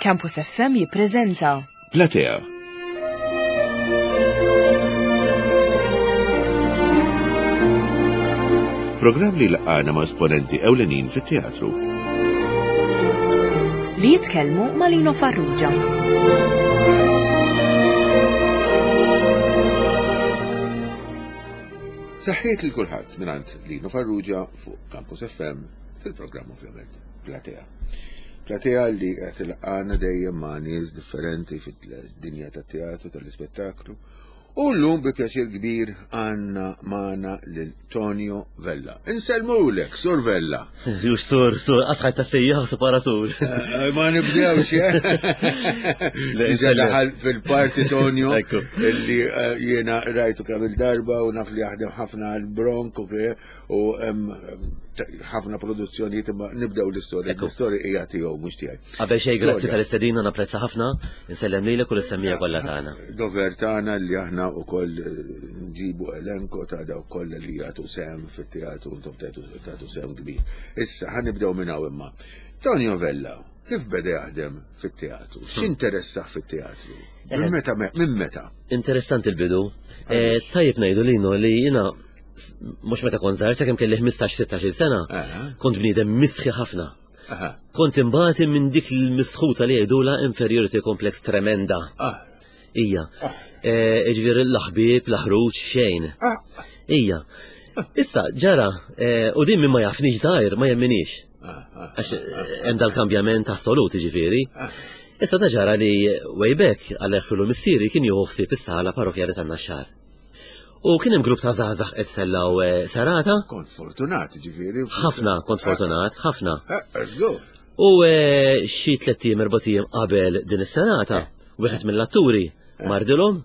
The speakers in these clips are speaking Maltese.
Campus FM jippreżenta Platea. Programm li laqgħana ma' esponenti ewlenin fit-teatru. Li jitkellmu ma' Lino Farrugia. Saħħiet lil kulħadd mingħand Lino Farrugia fuq Campus FM fil-programm ovvjament Platea. Platea li qed ilqana dejjem ma' nies differenti fid-dinja tat-teatru tal-ispettaklu. U llum bi pjaċir kbir għandna magħna lil Tonio Vella. Insellmulek, Sur Vella. Jux sur, sur, asħaj ta' sejjaħ su para sur. Eh, ma nibdewx, eh? Diġa daħal fil-parti Tonio illi eh, jiena rajtu kemm il-darba u naf li jaħdem ħafna għal-Bronk u ħafna produzzjonijiet imma nibdew l-istorja. L-istorja hija tiegħu mhux tiegħi. Qabel xejn grazzi tal-istedina napprezza ħafna, insellem lilek u l-semmija kollha tagħna. Dover tagħna li aħna wkoll eh, nġibu elenko ta' dawk kollha li jagħtu sehem fit-teatru intom tagħtu sehem kbir. Issa ħa nibdew minn hawn imma. Tonio Vella, kif beda jaħdem fit-teatru? X'interessah fit-teatru? Minn eh. meta minn meta? Interessanti l-bidu. Eh, tajjeb ngħidu lino li jiena mhux meta kont żgħir sakemm kelli 15-16 sena, kont bniedem mistħi ħafna. Kont imbagħad minn dik l-misħuta li jgħidula inferiority complex tremenda. Ah. Ija. Ah. E, ġifieri l-ħbieb, l-ħruġ, xejn. Ah. Ija. Issa, ġara, e, u din minn ma jafnix żgħir, ma jemminix. Għax e, hemm dal-kambjament assolut, ġifieri. Issa ta' ġara li way back għal filu missieri kien jieħu ħsieb is-sala parrokjali tan-Naxxar. U kien hemm grupp ta' żgħażagħ qed tellgħu eh, serata. Kont fortunat, ġifieri. Ħafna kont fortunat, ħafna. Eh, let's go. U eh, xi tlett ijiem erba' ijiem qabel din is-serata, wieħed mill-atturi mardilhom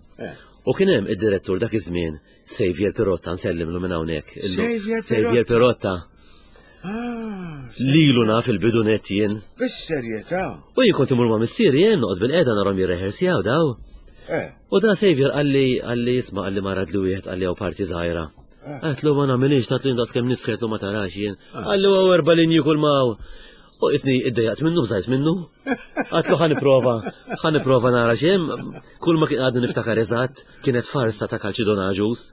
u kien hemm id-direttur dak iż-żmien Xavier Pirotta nsellimlu minn hawnhekk. Xavier Pirotta. Ah, Lilu naf il-bidu net jien. Bis-serjetà. U jien kont imur ma' missieri jien noqgħod bil-qeda narhom jirrehersjaw daw. Eh. U da Xavier qalli qalli jisma' qalli marad li wieħed qalli hawn parti żgħira. Eh. Għetlu ma nagħmilix tatlu daqs kemm nisħetlu ma tarax jien. Eh. Qalli hawn erba' linji kull ma U isni iddejjaqt minnu, bżajt minnu. Għatlu ħa nipprova, ħa nipprova nara xem, kull ma kien għadni niftakar eżatt, kienet farsa ta' Kalċidon Aġus.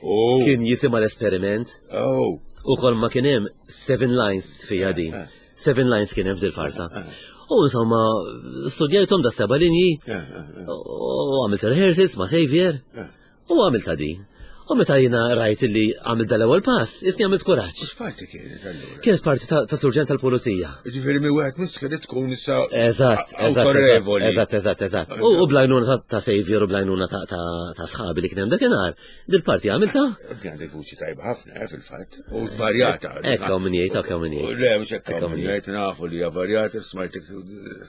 Oh. Kien jisima l-esperiment. Oh. U kol ma kien hemm seven lines fija din. Eh, eh. Seven lines kien hemm fil-farsa. Eh, u insomma, studjajthom da seba linji u għamilt rehearsals ma' Xavier u għamilt din. U meta jina rajt li għamilt dal-ewwel pass, isni għamilt kuraġġ. X'parti kienet allura? Kienet parti ta' surġent tal-pulizija. Ġifieri mi wieħed misħi li tkun issa Eżatt, eżatt, eżatt, eżatt, eżatt. U blajnuna ta' Xavier u blajnuna ta' sħabi li kien hemm dakinhar, dil-parti għamilta. Kien għandek vuċi tajba ħafna, eh, fil-fatt, u varjata. Ekk hawn min jgħid, ekk hawn min jgħid. Le, mhux hekk hawn min jgħid, nafu li hija varjata,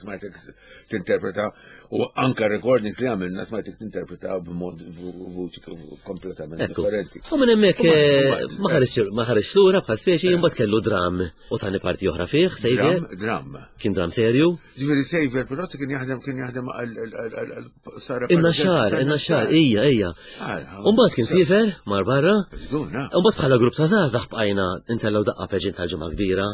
smajtek tinterpreta U anka recordings li għamilna smajtek tinterpreta b'mod vuċi kompletament differenti. U minn hemmhekk eh, ma ħareġ lura bħal speċi eh. imbagħad kellu dram u tani parti oħra fih, Xavier. Dram. Kien dram serju. Ġifieri Xavier però kien jaħdem kien jaħdem sara. Inna xar, inna xar, ija, ija. U mbagħad kien sifer mar barra. U mbagħad bħala grupp ta' żgħażagħ bqajna intellgħu daqqa peġin tal-ġimgħa kbira.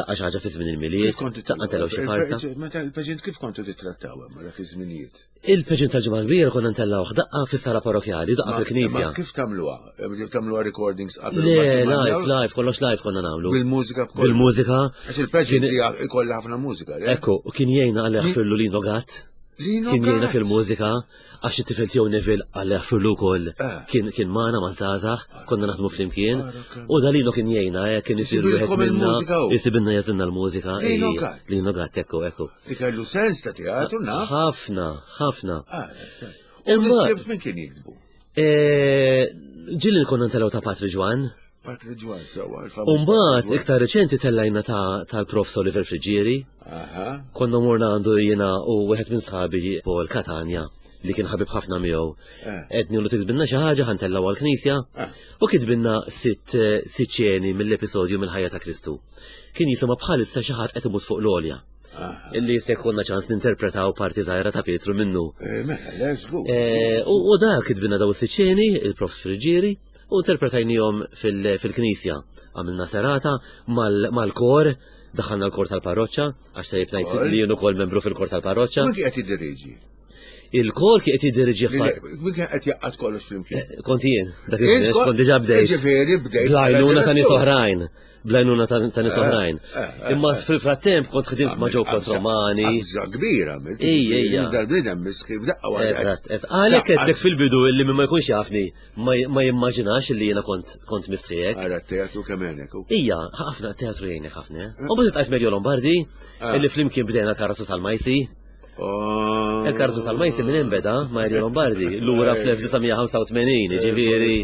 Daqqa xi ħaġa fi żmien il-Milied, daqqa telgħu xi farsa. Meta il-paġent kif kontu titrattaw hemm dak iż-żminijiet? Il-paġent tal-ġimgħa kbira konna ntellgħuh daqqa fis-sala parrokjali, daqqa fil-knisja. Kif tagħmluha? Tagħmluha recordings qabel? Le, live, live, kollox live konna nagħmlu. Bil-mużika b'kollox. Bil-mużika. Għax il-paġent ikollha ħafna mużika. Ekku, u kien jgħinna għal jaħfirlu Lino Gatt. Kien jgħinna fil-mużika, għax it-tifel tiegħu Neville għal jaħfirlu wkoll eh. kien kien magħna ma' żgħażagħ, konna naħdmu flimkien, ah, u dalino kien jgħinna, eh, kien isir wieħed minna, jisibilna jażilna l-mużika. Lino Gatt, ekku, ekku. Ikellu sens ta' teatru, naf. Ħafna, ħafna. Ah, Imma. L-iskript min kien jiktbu? Eh, ġilli konna ntelgħu ta' Patri Ġwan. Patri Ġwan, sewa. Umbagħad iktar reċenti tellajna tal-Prof Oliver Friġieri. Konna morna għandu jiena u wieħed minn sħabi Paul Catania li kien ħabib ħafna miegħu. Eh. Edni lu tikdbilna xi ħaġa ħantellgħu għall-knisja eh. u kitbilna sitt eh, sitt ċeni mill-episodju mill-ħajja ta' Kristu. Kien jisimha bħalissa xi ħadd qed imut fuq l-għolja. Illi se jkollna ċans ninterpretaw parti żgħira ta' Pietru minnu. Eh, mela, let's go. Eh, u dak kitbina daw is-siċċeni, il-Profs Friġġieri, u interpretajnihom fil-knisja. Għamilna serata mal-kor, daħalna l-kor tal-parroċċa, għax tajjeb ngħid li jien ukoll membru fil-kor tal-parroċċa. Min qed jiddirieġi? Il-kor kien qed jiddirieġi Min kien qed jaqgħad kollox flimkien? Eh, kont jien, dak iż kont diġà bdejt. Ġifieri bdejt. Blajnuna ta' nies oħrajn. Blajnuna ta' nies eh, oħrajn. Eh, Imma fil-frattemp kont ħdimt ma' ġew Romani. Qabża kbira, Ej, ej, Dal-bniedem miski f'daqqa waħda. Eżatt, eżatt. Għalhekk qedlek fil-bidu illi min ma jkunx jafni ma jimmaġinax li jiena kont kont mistħijek. Ara teatru kemm għenek. Ija, ħafna teatru jgħinek ħafna. Eh. U bdiet għajt Mario Lombardi, illi flimkien bdejna karozzu tal-Majsi. Oh. Il-karzu tal-Majsi minn imbeda Mario Lombardi, lura fl-1985, ġifieri.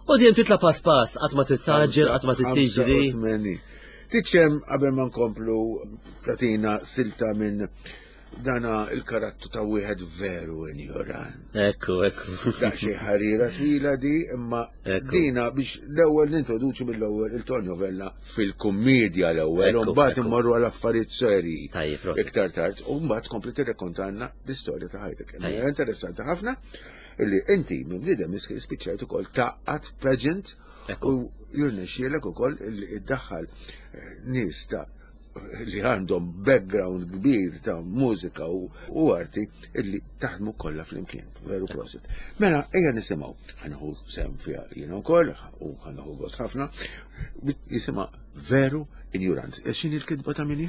U dejjem titla pass pass, qatt ma tittaġġel, qatt ma tittiġri. Tiċċem qabel ma nkomplu tatina silta minn dana il-karattu ta' wieħed veru injorant. Ekku, ekku. Da xi ħarira twila di, imma dina biex l-ewwel nintroduċi mill-ewwel il-Tonio Vella fil-kummedja l-ewwel, u mbagħad immorru għal affarijiet serji. Iktar tard, u mbagħad tkompli tirrekontanna l-istorja ta' ħajtek. Interessanti ħafna illi inti minn bniedem spiċċajt ukoll taqqat pageant u jirnexxielek ukoll illi iddaħħal eh, nies ta' li għandhom background kbir ta' mużika u arti illi taħdmu kollha flimkien. Veru prosit. Mela, ejja nisimgħu. Ħanħu sem fiha jiena wkoll u ħanħu gost ħafna. Jisimha Veru Injurant. E x'inhi l-kitba ta' minni?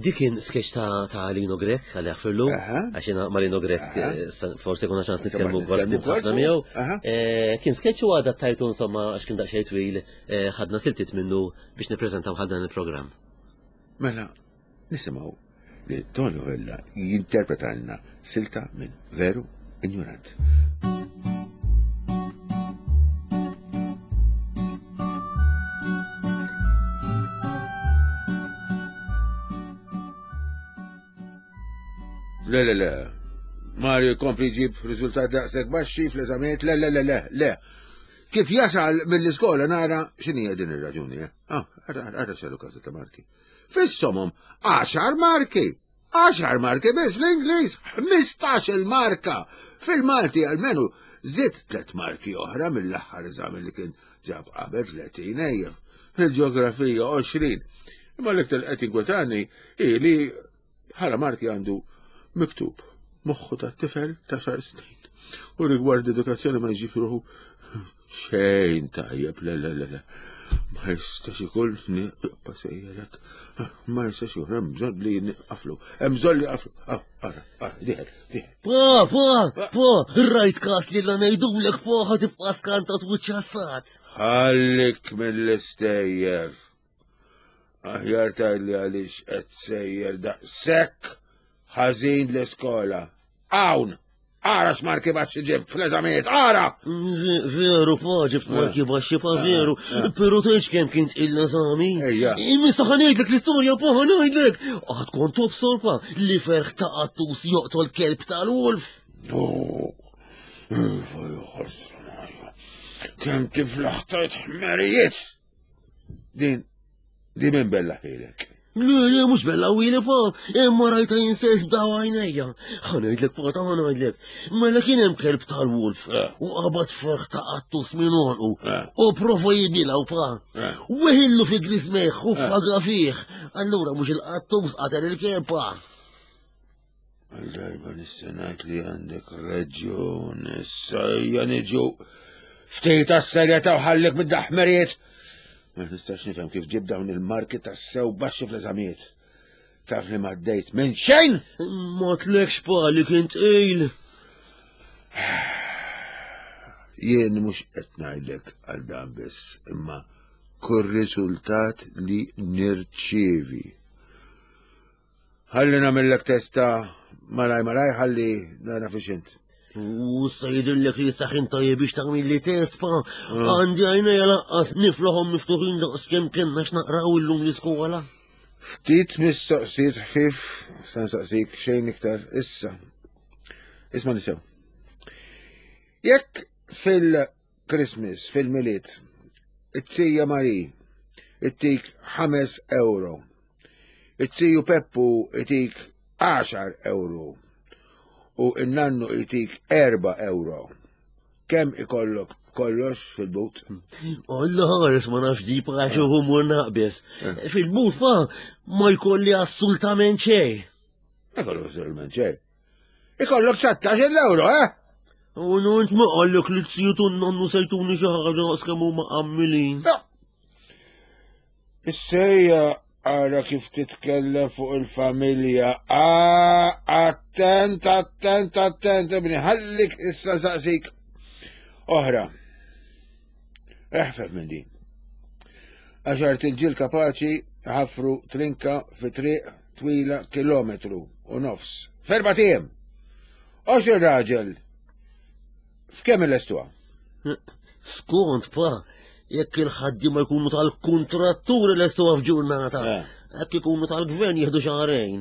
Dik kien sketch ta', ta Lino Grek, għalli għafirlu, għax jena ma' Lino Grek eh, forse kuna ċans nitkellmu wkoll ħafna miegħu. Eh, kien sketch u adattajtu insomma għax kien daqsxejn twil, eh, ħadna siltiet minnu biex nippreżentaw ħal dan il-programm. Mela, nisimgħu li Tonio Vella jinterpretalna silta minn Veru Ignorant. Le, le, le. Mario jkompli jġib riżultat daqshekk baxxi fl-eżamijiet, le, le, le, le, le. Kif jasal mill-iskola nara x'inhija din ir-raġuni, eh? Ah, ara x'għalu każi ta' marki. Fis-somom, għaxar marki! Għaxar marki biss fl-Ingliż, 15 il-marka! Fil-Malti almenu żied tliet marki oħra mill-aħħar eżami li kien ġab qabel 30 ejja. Fil-ġeografija 20. Imma l-iktar qed jinkwetani hi li Bħala marki għandu miktub moħħu ta' tifel ta' xar snin. U rigward edukazzjoni ma jġib ruħu xejn tajjeb, le, le, le, le. Ma jistax ikun nibqa' sejjerek. Ma jistax ikun, hemm bżonn li nqaflu. Hemm bżonn li qaflu. Ah, ara, ara, diħel, diħel. Pa, pa, pa, rajt kas li la ngħidulek pa ħa tibqa' skantat u ċassat. Ħallik mill-istejjer. Aħjar tgħidli għaliex qed sejjer daqshekk ħażin l-iskola. Hawn! Ara x'marki baxxi ġibt fl-eżamijiet, ara! Veru, pa, ġibt marki baxxi, pa, veru. Pero tgħidx kemm kien tqil l-eżami. Ejja. Imissa ħa ngħidlek l-istorja, pa, ħa ngħidlek. Għad kont tobsor, pa, li ferħ ta' qattus joqtol kelb tal-wolf. Oh, Iva, ħasra, Mario. Kemm tiflaħ tajt ħmerijiet! Din, di minn bella ħilek. Le, le, mux bella wili pa, imma rajta jinsejs b'daw għajnejja. Ħanajdlek pa, ta' ħanajdlek. Mela kien hemm kelb tal-wolf eh. u qabad ferħ ta' qattus minn għonqu eh. u prova jibilaw pa. Eh. Weħillu fi grismeħ u faga fih. Allura mhux il-qattus qatel il-kelb pa. Għal darba nista' ngħid li għandek raġun, issa ejja niġu ftit għas-serjetà u ħallik mid-daħmerijiet. Ma nistax nifhem kif ġib dawn il-marki tas-sew baxxi fl-eżamijiet. Taf li ma għaddejt minn xejn? Ma tlekx pa li kien tqil. Jien mhux qed ngħidlek għal dan biss, imma kull riżultat li nirċievi. Ħalli nagħmillek testa malaj malaj ħalli nara fiex int. U sa jidhirlek li saħin tajjeb biex tagħmel li test pa ah. għandi għajnejja lanqas niflohom miftuħin daqs kemm kellna x'naqraw illum l-iskola. Ftit mistoqsijiet ħfif sa nsaqsik xejn iktar issa. Isma' nisew. Jekk fil-Christmas, fil-Milied, it-tija Mari, ittik 5 euro. It-siju Peppu itik 10 euro u n-nannu itik 4 euro. Kemm ikollok kollox fil-but? Alla ħares ma nafx di għax humur naqbes. Eh. Fil-but ma ma jkolli assolutament xejn. Ma jkollok assolutament xejn. Ikollok 19 euro, eh? U nunt ma qallek li t-siju nonnu sejtuni xi ħaġa daqs kemm huma qammilin. Issejja ara kif titkellem fuq il-familja. Ah, attent, attent, attent, ibni, ħallik issa saqsik. Oħra. Eħfef minn din. Għaxar tilġil kapaċi ħafru trinka fi triq twila kilometru u nofs. Ferba tiem. Oxir raġel F'kemm il-lestuha? Skont pa, jekk il-ħaddiema jkunu tal-kuntratturi lestuha f'ġurnata, eh. jekk ikunu tal-gvern jieħdu xahrejn.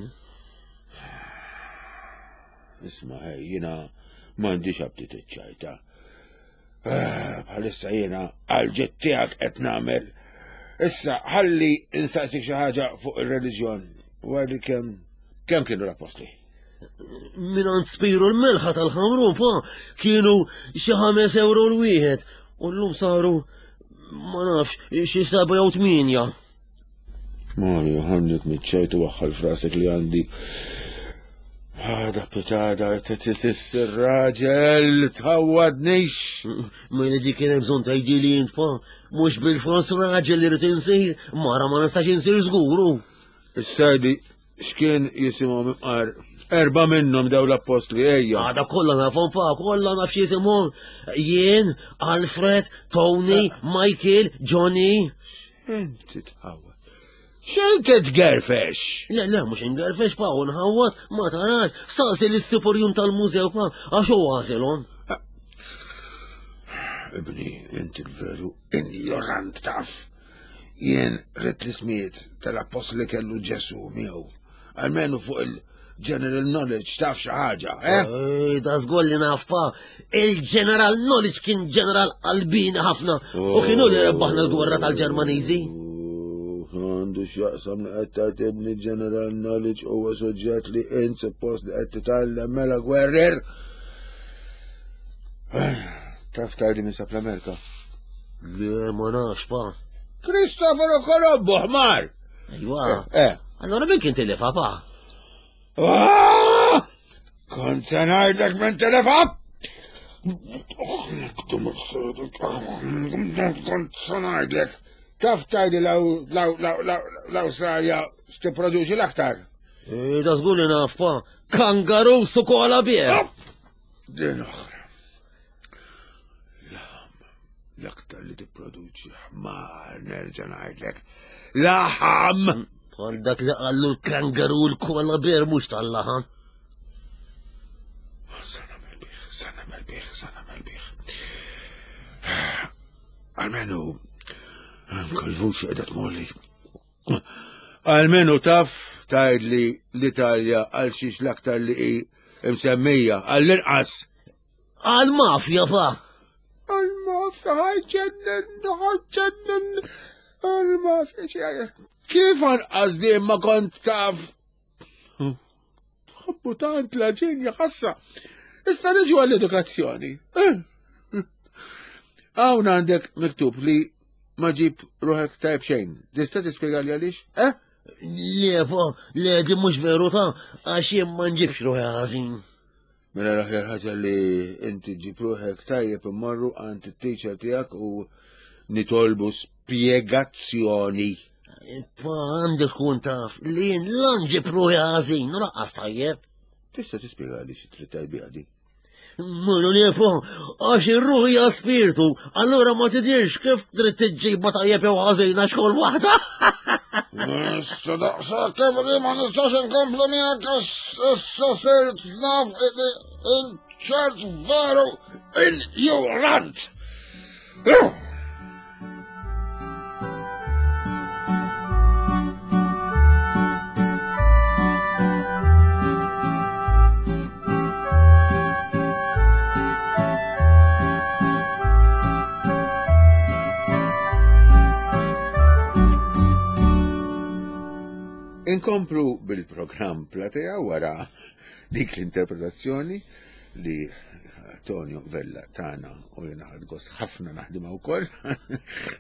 Isma' ej, jiena m'għandix aptit iċ-ċajta. Eh, bħalissa jiena għal-ġett tiegħek qed nagħmel. Issa ħalli insaqsik xi ħaġa fuq ir-reliġjon. Wara kemm kemm kienu l-appostli? Minant spiru l-melħa tal-ħamrun, pa, kienu xi ħames euro l-wieħed, u llum saru, ma nafx, xi seba' jew tmienja. Mario, ħannik mitċajt u waħħal frasek li għandi. Għada pitada, t-tissis raġel, tħawadnix. Ma jena dik kien bżon tajdi li jint pa, mux bil-fors raġel li rrit insir, mara ma nistax insir zguru. Issa X'kien jisimhom imqar erba' minnhom daw l-appostli ejja. Għada kollha nafhom pa, kollha naf x'jisimhom. Jien, Alfred, Tony, eh. Michael, Johnny. Inti tħawwad. X'inti tgerfex? Le, le, mhux ingerfex pa, u nħawwad, ma tarax. Staqsi lis-superjun tal-mużew pa, għax hu għażilhom. Eh. Ibni, inti l-veru injorant taf. Jien ridt l-ismijiet tal-appostli li kellu Ġesu miegħu. Almenu fuq il-general knowledge taf xi ħaġa, eh? Da żgur li naf pa. Il-general knowledge kien ġeneral qalbini ħafna u kienu li rebbaħna l-gwerra tal-Ġermaniżi. Għandu x'jaqsam li qed tagħtibni general knowledge huwa suġġett li int suppost li qed titgħallem mela gwerrer. Taf tgħidli minn sab l-Amerika? Le, ma nafx, pa. Cristoforo Colombo, ħmar! Ejwa. Eh, eh. Allora min kien telefa, pa? Ah! Kont se ngħidlek minn telefa? Kont se ngħidlek. Taf tgħidli l-Awstralja x'tipproduċi l-aktar? Eh, da żgur li naf, pa. Kangaroo su koala bie. Din oħra. Laħam, l-aktar li tipproduċi ħmar, nerġa' ngħidlek. Laħam! Bħal dak li qallu l-kangaru l-koala bear mhux tal-laħam. Sa nagħmel bih, sa nagħmel bih, sa nagħmel bih. Almenu, anke l-vuċi qiegħda tmolli. Almenu taf tgħidli l-Italja għal xiex l-aktar li hi msemmija għall-inqas. Għal-mafja fa. Għal-mafja ħajġennen, ħajġennen. Għal-mafja Kif anqas di ma kont taf? Tħobbu tant la ġenja ħassa. Issa niġu għall-edukazzjoni. Eh. Hawn għandek miktub li ma ġib ruħek tajb xejn. Tista' tispjegali għaliex? Eh? Le, fa, le, di mhux veru ta' għax jien ma nġibx ruħi ħażin. Mela l-aħjar ħaġa li inti ġib ruħek tajjeb immorru għand it-teacher tiegħek u nitolbu spjegazzjoni. Pa għandek tkun taf li jien la nġib ruħi ħażin u laqqas tajjeb. Tista' tispjega li xi trid tgħid di? Mulu li fu, għax ir-ruħ hija spirtu, allura ma tidirx kif trid tiġġibha tajjeb jew ħażin għax kull waħda. Issa daqshekk li ma nistax inkomplu miegħek għax issa sirt naf ċert veru injurant. Inkomplu bil-programm Platea wara dik l-interpretazzjoni li Tonio Vella tagħna u jiena ħadt gost ħafna naħdimha wkoll.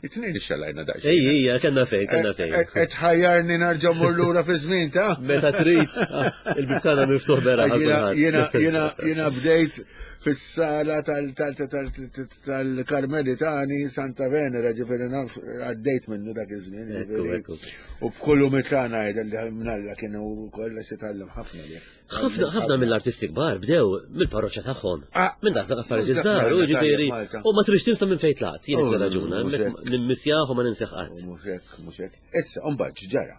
It-tnejn ixxalajna daqsxejn. Ej, ejja, kellna fejn, kellna fejn. Qed ħajjarni narġa' mmur lura fi żmien ta' Meta trid, ah, il-bib tagħna miftuħ bera. Jiena jiena jiena bdejt fis-sala tal-Karmelitani Santa Venera, ġifieri naf għaddejt minnu dak iż-żmien. U b'kull umiltà ngħid li mnalla kienu kollha xi tgħallem ħafna li. Ħafna ħafna mill-artisti kbar bdew mill-parroċċa tagħhom. Ah, minn dak l-affarijiet iż-żgħar, u ġifieri u ma trix tinsa minn fejn tlaqt, jien oh, raġuna, nimmissjah u ma ninseħ qatt. Mhux hekk, mhux hekk. Issa, mbagħad x'ġara?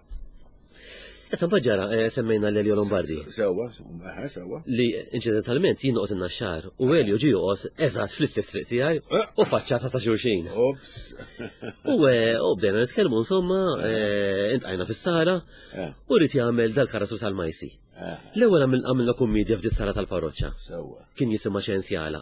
Issa mbagħad ġara eh, semmejna l-Elio Lombardi. Sewwa, eh, sewwa. Li inċidentalment jien noqgħod in-naxxar u Elio ġie joqgħod eżatt fl-istess triq tiegħi eh. u faċċata ta' xulxin. Ops. U bdejna nitkellmu insomma, intqajna fis-sala u rrid jagħmel dal-karattru tal-Majsi. L-ewwel għamilna kummedja f'di sala tal-parroċċa. Sewwa. Kien jisimha Xensjala.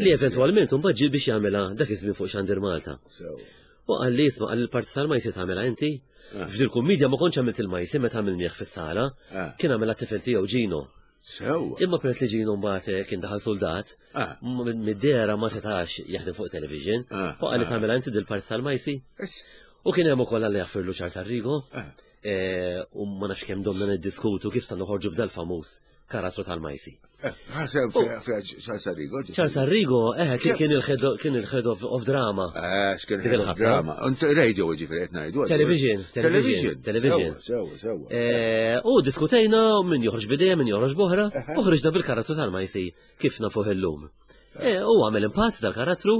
Li eventwalment imbagħad ġie biex jagħmilha dak iż-żmien fuq Xandir Malta. Sewwa. U qal li isma' qal il-parti tal-majsi tagħmilha inti. Ah. F'dil kummedja ma kontx għamilt il-majsi meta għamilnieh fis-sala, ah. kien għamilha t-tifel tiegħu Ġino. Sewwa. Imma peress li Ġino mbagħad eh, kien daħal soldat, ah. mid-dera ma setax jaħdem fuq television, u qal li tagħmilha inti dil-parti tal-majsi. U kien hemm ukoll għalli jaffirlu Charles Arrigo, eh, u ma nafx kemm domna niddiskutu kif sa noħorġu b'dal famuż karattru tal-majsi. Ħaseb Charles Arrigo. Charles Arrigo, eh, kien il-head of drama. Eh, x'kien head of drama. Radio ġifieri qed ngħidu. Television, television, television. Sewa, sewa. Eh, u diskutejna min joħroġ bidejja, min joħroġ boħra, u ħriġna bil-karattru tal-majsi kif nafuh illum. Eh, u għamel impatt dal-karattru.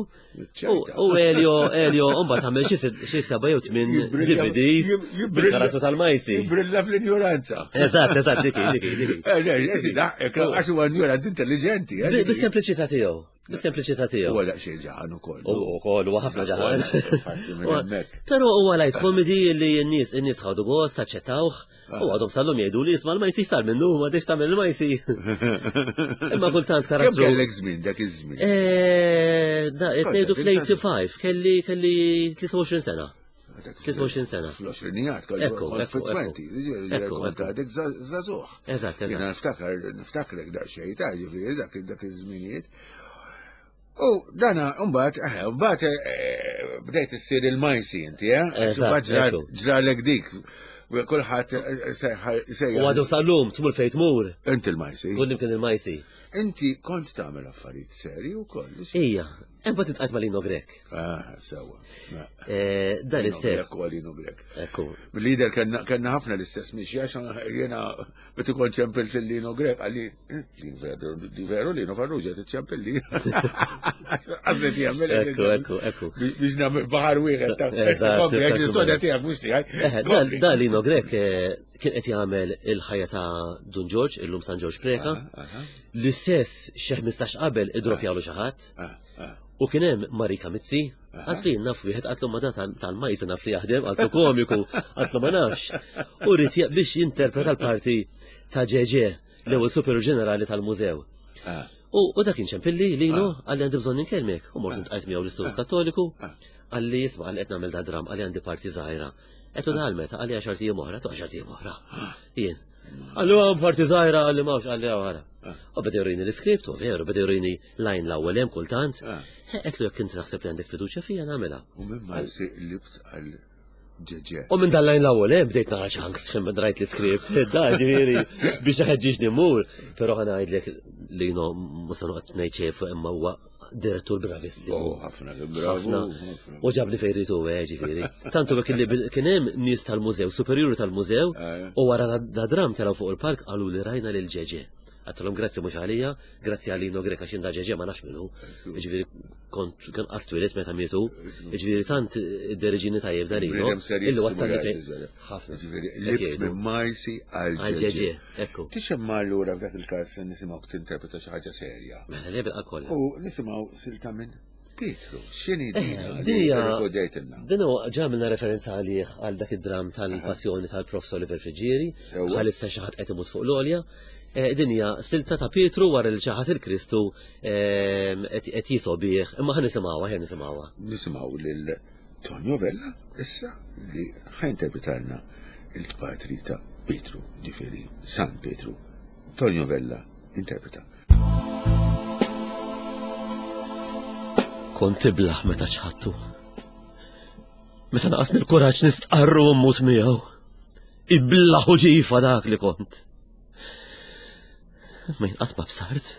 U Elio, Elio, mbagħad għamel xi seba' jew tmien DVDs bil-karattru tal-majsi. Jibrilla fl-injoranza. Eżatt, eżatt, diki, diki, diki. Eh, eh, għax huwa injorant intelligenti. Bis-sempliċità tiegħu. Bis-sempliċità tiegħu. Huwa daqsxejn ġaħan ukoll. U wkoll huwa ħafna ġaħan. Però huwa light comedy li n-nies in-nies ħadu gost, aċċettawh. U għadhom sal-lum jgħidu li jisma' l-majsi sar minnu, ma diex tagħmel il-majsi. Imma kultant karattru. Kemm kellek żmien dak iż-żmien? Eh, da qed ngħidu fl-85 kelli kelli 23 sena. 23 sena. Fl-20 kelli fil-20, kont għadek żagħżugħ. Eżatt, eżatt. Niftakar niftakrek daqsxejn ta' ġifieri dak dak iż-żminijiet. U dana, mbagħad, eh, mbagħad eh, bdejt issir il-majsi inti, eh? Eżatt. Ġralek dik. Kulħadd eh, sejja. U għadu sal-lum, tmur fejn tmur. Inti il-majsi. Kull imkien il-majsi. Inti kont tagħmel affarijiet serji wkoll. Ija, hemm bad titqajt ma' Lino Grek. Ah, sewa. Eh, dan l-istess. Grek u Lino Grek. Ekku. Lider kellna ħafna l-istess mixja, jiena meta kont ċempilt lil Lino Grek għalli Li veru, li veru li Farrugia tiċċempilli. Għazlet jagħmel. Ekku, ekku, ekku. Biex nagħmel baħar wieħed ta' kompli, jekk l-istorja tiegħek mhux tiegħi. Dan Lino Grek eh, kien qed jagħmel il-ħajja ta' Dun Ġorġ, illum San Ġorġ Preka. L-istess xi 15 qabel idropjalu xi ħadd. U kien hemm Marika Mizzi, għatli naf wieħed għatlu ma tal-majza naf li jaħdem, għatlu komiku, għatlu ma nafx. U rrid biex jinterpreta l-parti ta' ġeġe l-ewwel superjur ġenerali tal-mużew. Ah. U dak kien ċempilli lino ah. għalli għandi bżonn inkellmek. U mort ah. intqajt miegħu l-Istitut Kattoliku, għalli jisma' għalli qed nagħmel da dram, għalli għandi parti żgħira. Qed dal meta għalli għaxar tijiem oħra, tu għaxar tijiem oħra. Jien. Għallu għam parti żgħira għalli mawx għalli għara. U beda jurini l-iskript, u veru, beda jurini lajn l-ewwel hemm kultant. Qed jekk inti taħseb li għandek fiduċja fija nagħmilha. U minn ma libt għal Ġeġe. U minn dal-lajn l-ewwel eh, bdejt nara ċanks x'hemm rajt l-iskript. Da ġifieri biex ħeġġiġni mmur, però ħa ngħidlek li no mhux se noqgħod ngħid xejn fuq imma huwa direttur bravissimu. Oh, ħafna bravu. U ġabni fejn ritu eh, ġifieri. Tantu kien li kien hemm nies tal-mużew, superjuri tal-mużew, eh. u wara da dram telgħu fuq il-park qalu li rajna lil ġeġe. Għattilhom grazzi mhux għalija, grazzi għalino Greka x'inda ġeġe ma nafx minnu. Ġifieri kont kien qatt twieled meta mietu. Ġifieri tant id-deriġini tajjeb dalino. Illi wassalni fejn. Ħafna. Ġifieri libt minn majsi għal ġeġe. Ekku. Tixemma allura f'dak il-każ nisimgħu tinterpreta xi ħaġa serja. Mela le bil kollha. U nisimgħu silta minn Pietru, x'inhi eh, din? Din huwa ġamilna referenza għalih għal dak id-dram tal-passjoni tal-Prof Oliver Friġġieri, bħalissa xi ħadd qed imut fuq l-għolja. Eh, din hija silta ta' Pietru wara li ċaħat il-Kristu ehm, qed jisobih, imma ħa nisimgħuha, ħa nisimgħuha. Nisimgħu lil Tonio Vella issa li ħa interpretalna il-patri ta' Pietru, ġifieri San Pietru. Tonio Vella interpreta. Kont tiblaħ meta ċħattu. Meta naqasni l-kuraġġ nistqarru u mmut miegħu. Iblaħ u ġifa dak li kont. Ma jien qatt ma bsart.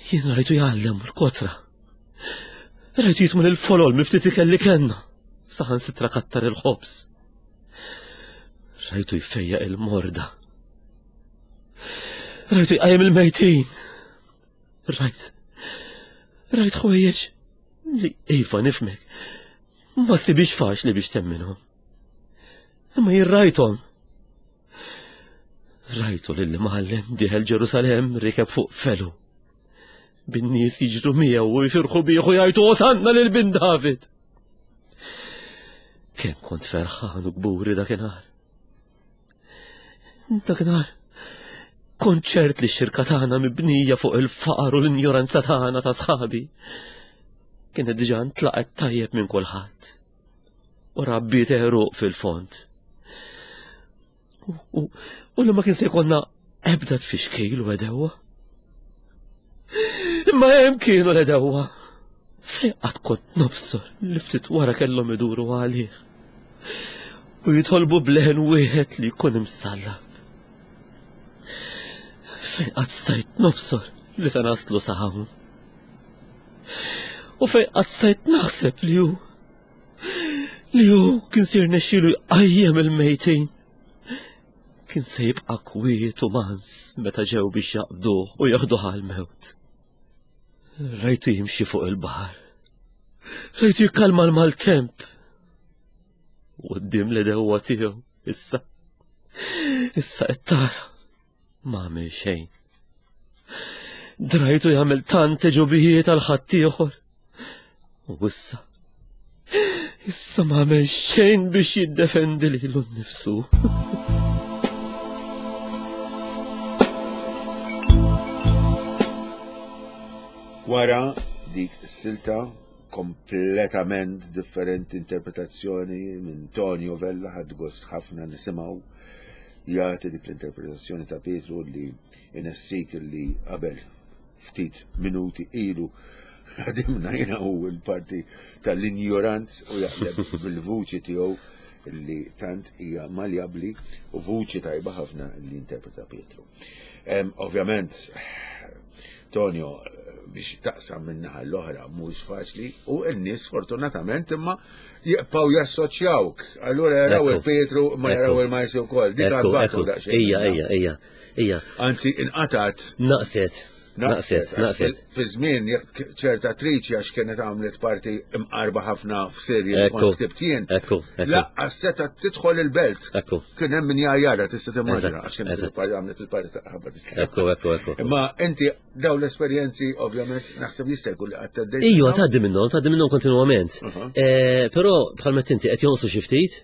Jien rajtu jgħallem l-kotra. Rajtu jitma l-folol miftit ikel li kellna. Saħan sitra kattar il-ħobż. Rajtu jfejjaq il-morda. Rajtu jqajjem il-mejtin. Rajt. Rajt ħwejjeġ li iva nifmek. Ma sibix faċli biex temminhom. Imma jien rajthom. Rajtu lil imgħallem dieħel Ġerusalem rikeb fuq felu. Bin-nies jiġru miegħu u jfirħu bih u jgħidu Osanna lil bin David. Kemm kont ferħan u kburi dakinhar. Dakinhar kont ċert li x-xirka tagħna mibnija fuq il-faqar u l-injoranza tagħna ta' sħabi kienet diġà ntlaqet tajjeb minn kulħadd. U rabbiet għeruq fil-fond. U, u li ma kien se jkollna ebda tfixkil u edewa. Imma hemm kienu l-edewa. Fejn qatt kont nobsor li ftit wara kellhom iduru għalih. U jitolbu bleħen wieħed li jkun imsallab. Fejn qatt stajt nobsor li se naslu sa hawn. U fejn qatt stajt naħseb li hu li hu kien sir nexxilu jqajjem il-mejtin. Kien se jibqa' kwiet u mans meta ġew biex jaqbduh u jaħduh għall-mewt. Rajtu jimxi fuq il-baħar. Rajtu jikkalma l-maltemp. U qudiem l-edewwa tiegħu issa. Issa qed tara. Ma għamel xejn. Drajtu jagħmel tant ġubijiet għal ħaddieħor. U issa issa ma għamel xejn biex jiddefendi lilu nnifsu. Wara dik is-silta kompletament differenti interpretazzjoni minn Tonio Vella ħadd gost ħafna nisimgħu jagħti dik l-interpretazzjoni ta' Pietru li inessik li qabel ftit minuti ilu ħadimna jiena u l-parti tal-injoranz u jaqleb bil-vuċi tiegħu li tant hija maljabbli u vuċi tajba ħafna li interpreta Pietru. Ovvjament, Tonio, biex taqsam minn naħa l-oħra mhux faċli u n-nies fortunatament imma jibqgħu jassoċjawk. Allura jaraw il-Pietru ma jaraw il-Majsi wkoll. Dik għadbatu daqsxejn. Ija, ija, ija, ija. Anzi, inqatgħet. Naqset. Naqset, naqset. Fi żmien jekk ċerta attriċi għax kienet għamlet parti imqarba ħafna f'serje li kont ktibt jien. Ekku, ekku. Laqqas seta' tidħol il-belt. Ekku. Kien hemm min jgħajjarha tista' timmaġina għax kienet għamlet il-parti ta' ħabba tista'. Ekku, ekku, ekku. Imma inti daw l-esperjenzi ovvjament naħseb jista' jkun li qatt tgħaddejt. Ejwa tgħaddi minnhom, tgħaddi minnhom kontinwament. Eh, però bħal meta inti qed jonqsu xi ftit.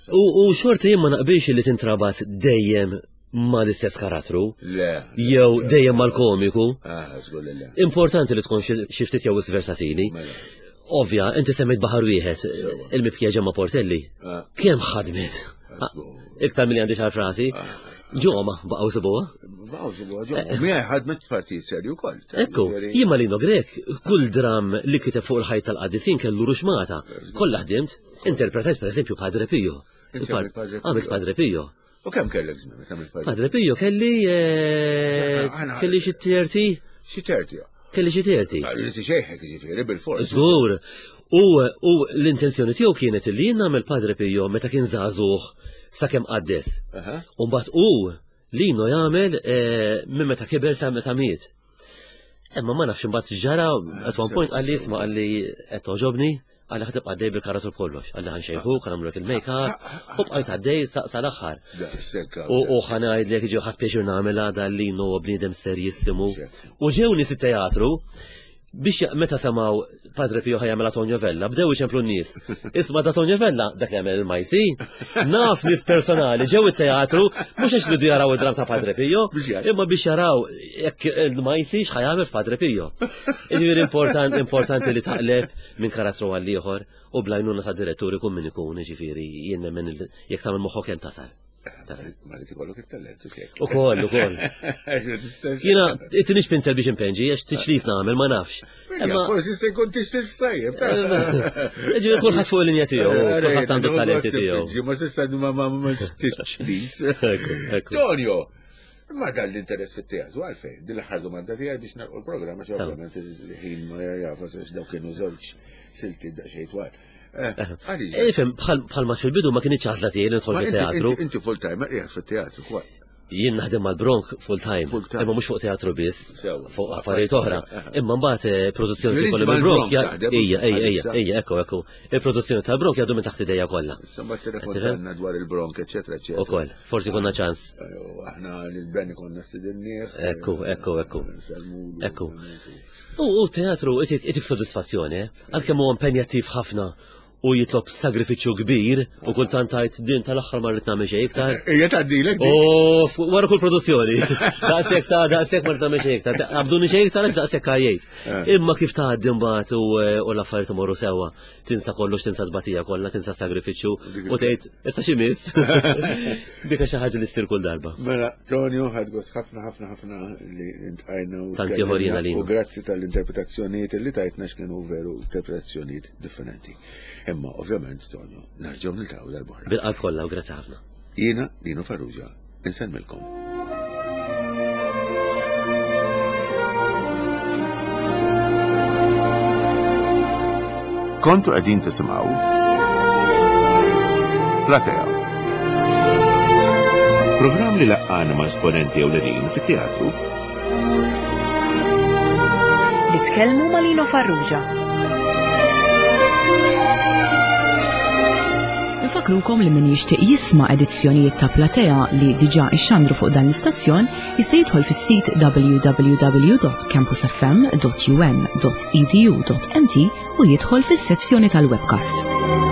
U xorta jien ma naqbilx li tintrabat dejjem ma l-istess karattru. Le. Jew dejjem mal-komiku. Ah, żgur li le. Importanti li tkun xi ftit jew versatili. Mela. Ovvja, inti semmejt baħar wieħed, il-mibkija ġemma Portelli. Ah. Kemm ħadmet? Ah, Iktar milli għandi xar frasi. Ġoma, baqgħu sibuha. Baqgħu sibuha ġoma. Miegħi ħadmet partit serju wkoll. Ekku, jien ma Lino Grek, kull dram li kiteb fuq il-ħajt tal-qaddisin kellu ruxmata. Kollha ħdimt, interpretajt pereżempju Padre Pio. Għamilt Padre Pio. U kemm kellek żmien meta għamilt Padre Padre Pio kelli eh, kelli xi terti. Xi terti. Kelli xi terti. Li xejħek jiġifieri bil-fors. Żgur. U, u l-intenzjoni tiegħu kienet li jien nagħmel Padre Pio meta kien żagħżugħ sakemm qaddes. U mbagħad hu Lino jagħmel eh, minn meta kiber sa meta miet. Imma ma nafx imbagħad ġara at one point qalli isma' qalli qed toġobni, qalli ħa tibqa' għaddej bil-karattru b'kollox, qalli ħa nxejħuk, ħa nagħmlulek il-make-up, u bqajt għaddej sal-aħħar. U ħa ngħidlek ġew ħadd pjaċir nagħmilha dan Lino huwa bniedem serjissimu. U ġew nies it-teatru. Biex meta semgħu Padre Pio ħa jagħmel Tonio Vella, bdew iċemplu n-nies. Isma' da Tonio Vella, dak li jagħmel il-Majsi. Naf nies personali ġew it-teatru mhux għax ridu jaraw id-dram ta' Padre Pio, imma biex jaraw jekk il-Majsi x'ħa jagħmel f'Padre Pio. Jiġifieri important, importanti li taqleb minn karattru għal ieħor u blajnuna ta' direttur ikun min ikun, jiġifieri jien nemmen jekk tagħmel moħħok hemm tasal. Ma li tikollok it-talent, U koll, u koll. Jena, it-tinix pinsel biex impenġi, għax tiċlis namel, ma nafx. Imma forsi se jkun tixtieq sajjeb. Ġifieri kulħadd fuq il-linja tiegħu, kulħadd għandu talenti tiegħu. Ma s'issa ma ma tiċlis. Tonio, ma dan l-interess fit-teatru għalfejn, din l-aħħar domanda tiegħi biex nagħlqu l-programm għax ovvjament il-ħin ma jafas għax dawk kienu żewġ silti daqsxejn twal. Eh, Ifhem, bħal ma fil-bidu ma kienx għażla tiegħi nidħol fit-teatru. Inti full time qiegħed fit-teatru kwa. Jien naħdem mal-Bronk full time, imma mhux fuq teatru biss, fuq affarijiet oħra. Imma mbagħad eh, produzzjoni kollu mal-Bronk, ejja, ejja, ejja, ejja, ekku, ekku. Il-produzzjoni tal-Bronk jgħaddu minn taħt idejja kollha. Issa mbagħad tirrekontanna dwar il-Bronk, eċetera, eċetera. Ukoll, forsi konna ċans. Eh, aħna lil-Benny konna stidinnieh. Ekku, ekku, ekku. Ekku. U teatru itik soddisfazzjoni, eh? Għalkemm huwa impenjattiv ħafna u jitlob sagrifiċċju kbir u kultant tgħid din tal-aħħar ma rrid nagħmel xejn iktar. Ejja tgħaddilek. U wara kull produzzjoni. Daqshekk ta' daqshekk ma rrid nagħmel xejn iktar. Qabduni xejn iktar għax daqshekk għajjejt. Eh. Imma kif tgħaddi mbagħad u eh, l-affarijiet imorru sewwa, tinsa kollox, tinsa tbatija kollha, tinsa sagrifiċċju u tgħid issa xi miss. Dika xi ħaġa li ssir kull darba. Mela, Tonio, ħadd gost ħafna ħafna ħafna li intqajna u Tant ieħor jiena U grazzi tal-interpretazzjonijiet li tajtna x'kienu veru interpretazzjonijiet differenti. Imma ovvjament, Tonio, nerġgħu niltaqgħu darb'oħra. Bil-qalb kollha u grazzi ħafna. Jiena Dino Farrugia, insellmilkom. Kontu qegħdin tisimgħu Platea. Programm li laqqana ma' esponenti ewlenin fit-teatru. Li tkellmu ma' Lino Farrugia. Infakrukom li min jixtieq jisma' edizzjonijiet ta' Platea li diġà ixxandru fuq dan l-istazzjon jista' jidħol fis-sit www.campusfm.um.edu.mt u jidħol fis-sezzjoni tal-webcast.